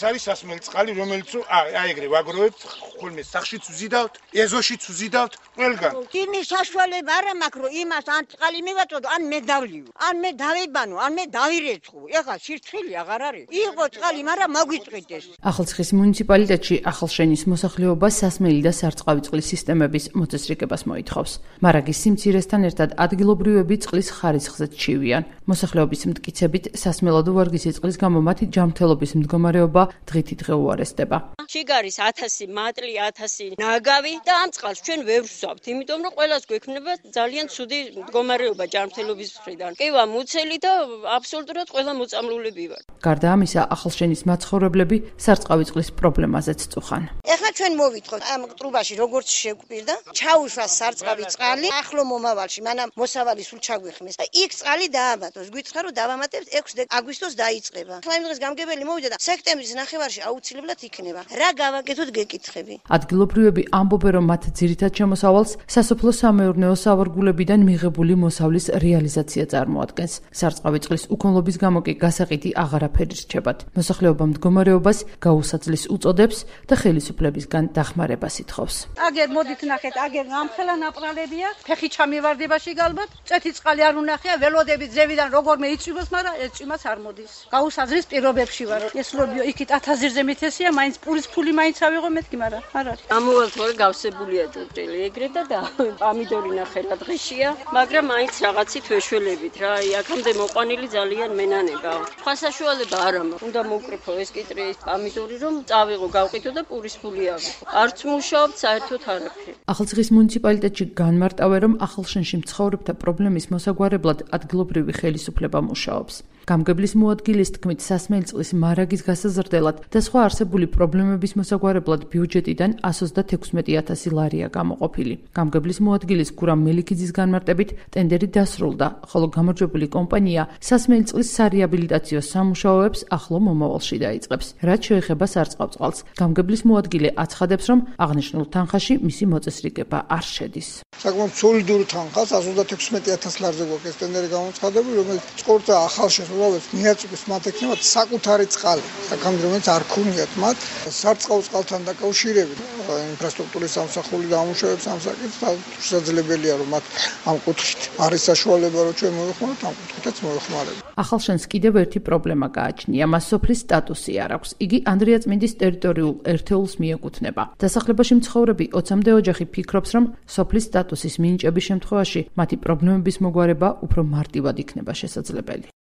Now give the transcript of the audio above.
არის სასმელი წყალი, რომელიც აი ეგრე ვაგროვებთ, ხოლმე სახშიც ვზიდავთ, ეზოშიც ვზიდავთ, ყველგან. იმის საშუალება არა მაქვს, რომ იმას ან წყალი მივაწოდო, ან მე დავლიო, ან მე დავიბანო, ან მე დავირეცხო. ეხლა სირცხილი აღარ არის. იყო წყალი, მაგრამ მოგვიწყვიტეს. ახალციხის მუნიციპალიტეტში ახალშენის მოსახლეობა სასმელი და სარწყავი წყლის სისტემების მოწესრიგებას მოითხოვს. მარაგის სიმცირესთან ერთად ადგილობრივები წყლის ხარისხზე ჩივიან. მოსახლეობის მტკიცებით სასმელადო ვარგისი წყლის გამო მათი ჯანმრთელობის მდგომარეობა დღითიდღე უარესდება. შიგარის 1000 მატლი, 1000 ნაგავი და ამ წყალს ჩვენ ვერ ვსვამთ, იმიტომ რომ ყველას გვექნება ძალიან ცუდი მდგომარეობა ჯანმრთელობის მხრიდან. კივა მუცელი და აბსოლუტურად ყველა მოწამლულები ვართ. გარდა ამისა, ახალშენის მაცხოვრებლები სარწყავი წყლის პრობლემაზეც წუხან. ეხლა ჩვენ მოვიტყოთ ამ ტრუბაში როგორც შეგვპირდა, ჩაუშვა სარწყავი წყალი, ახლო მომავალში, მანამ მოსავალი სულ ჩაგვიხმეს და იქ წყალი დაამატოს. გვიცხა რომ დავამატებთ 6 აგვისტოს დაიწყება. ახლა იმ დღეს გამგებელი მოვიდა და სექტემბრის ნახევარში აუცილებლად იქნება. რა გავაკეთოთ გეკითხები. ადგილობრივები ამბობენ, რომ მათ ძირითად შემოსავალს სასოფლო-სამეურნეო სავარგულებიდან მიღებული მოსავლის რეალიზაცია წარმოადგენს. სარწყავი წყლის უქონლობის გამო კი გასაყიდი აღარაფერი რჩებათ. მოსახლეობა მდგომარეობას გაუსაძლის უწოდებს და ხელისუფლებისგან დახმარებას ითხოვს. აგერ მოდით ნახეთ, აგერ ამხელა ნაპრალებია, ფეხი ჩამივარდებაში გალბათ, წეთი წყალი არ უნახია, ველოდებით ზევიდან როგორმე იწვიმოს, მაგრამ ეს წვიმაც არ მოდის. გაუსაძლის პირობებში ვარ. ეს ლობიო იქით 1000-ზე მითესია, მაინც პურის ფული მაინც ავიღო მეთქი, მაგრამ არ არის. ამოვალთ რომ გავსებულია ჭრილი ეგრე და პამიდორი ნახელა დღეშია, მაგრამ მაინც რაღაცით ვეშველებით რა. აქამდე მოყვანილი ძალიან მენანება. სხვა საშუალება არ მაქვს. უნდა მოვკრიფო ეს კიტრის პამიდორი რომ წავიღო, გავყიდო და პურის ფული ავიღო. არც მუშაობთ საერთოდ არაფერი. ახალციხის მუნიციპალიტეტში განმარტავენ, რომ ახალშენში მცხოვრებთა პრობლემის მოსაგვარებლად ადგილობრივი ხელისუფლება მუშაობს. გამგებლის მოადგილის თქმით, სასმელი წყლის მარაგის გასაზრდელად და სხვა არსებული პრობლემების მოსაგვარებლად ბიუჯეტიდან 136,000 ლარია გამოყოფილი. გამგებლის მოადგილის გურამ მელიქიძის განმარტებით, ტენდერი დასრულდა, ხოლო გამარჯვებული კომპანია სასმელი წყლის სარეაბილიტაციო სამუშაოებს ახლო მომავალში დაიწყებს. რაც შეეხება სარწყავ წყალს, გამგებლის მოადგილე აცხადებს, რომ აღნიშნულ თანხაში მისი მოწესრიგება არ შედის. საკმაოდ სოლიდური თანხა 136,000 ლარზე გვაქვს ტენდერი გამოცხადებული, რომელიც წყორთა ახალშენს მიაწვდის მათ ექნებათ საკუთარი წყალი, საკამდე რომელიც არ ქონიათ მათ სარწყავ წყალთან დაკავშირებით ინფრასტრუქტურის სამსახური დაამუშავებს ამ საკითხს, შესაძლებელია რომ მათ ამ კუთხით არის საშუალება რომ ჩვენ მოიხმაროთ, ამ კუთხითაც მოიხმარებთ. ახალშენს კიდევ ერთი პრობლემა გააჩნია, მას სოფლის სტატუსი არ აქვს. იგი ანდრიაწმინდის ტერიტორიულ ერთეულს მიეკუთვნება. დასახლებაში მცხოვრები 20-მდე ოჯახი ფიქრობს, რომ სოფლის სტატუსის მინიჭების შემთხვევაში მათი პრობლემების მოგვარება უფრო მარტივად იქნება შესაძლებელი.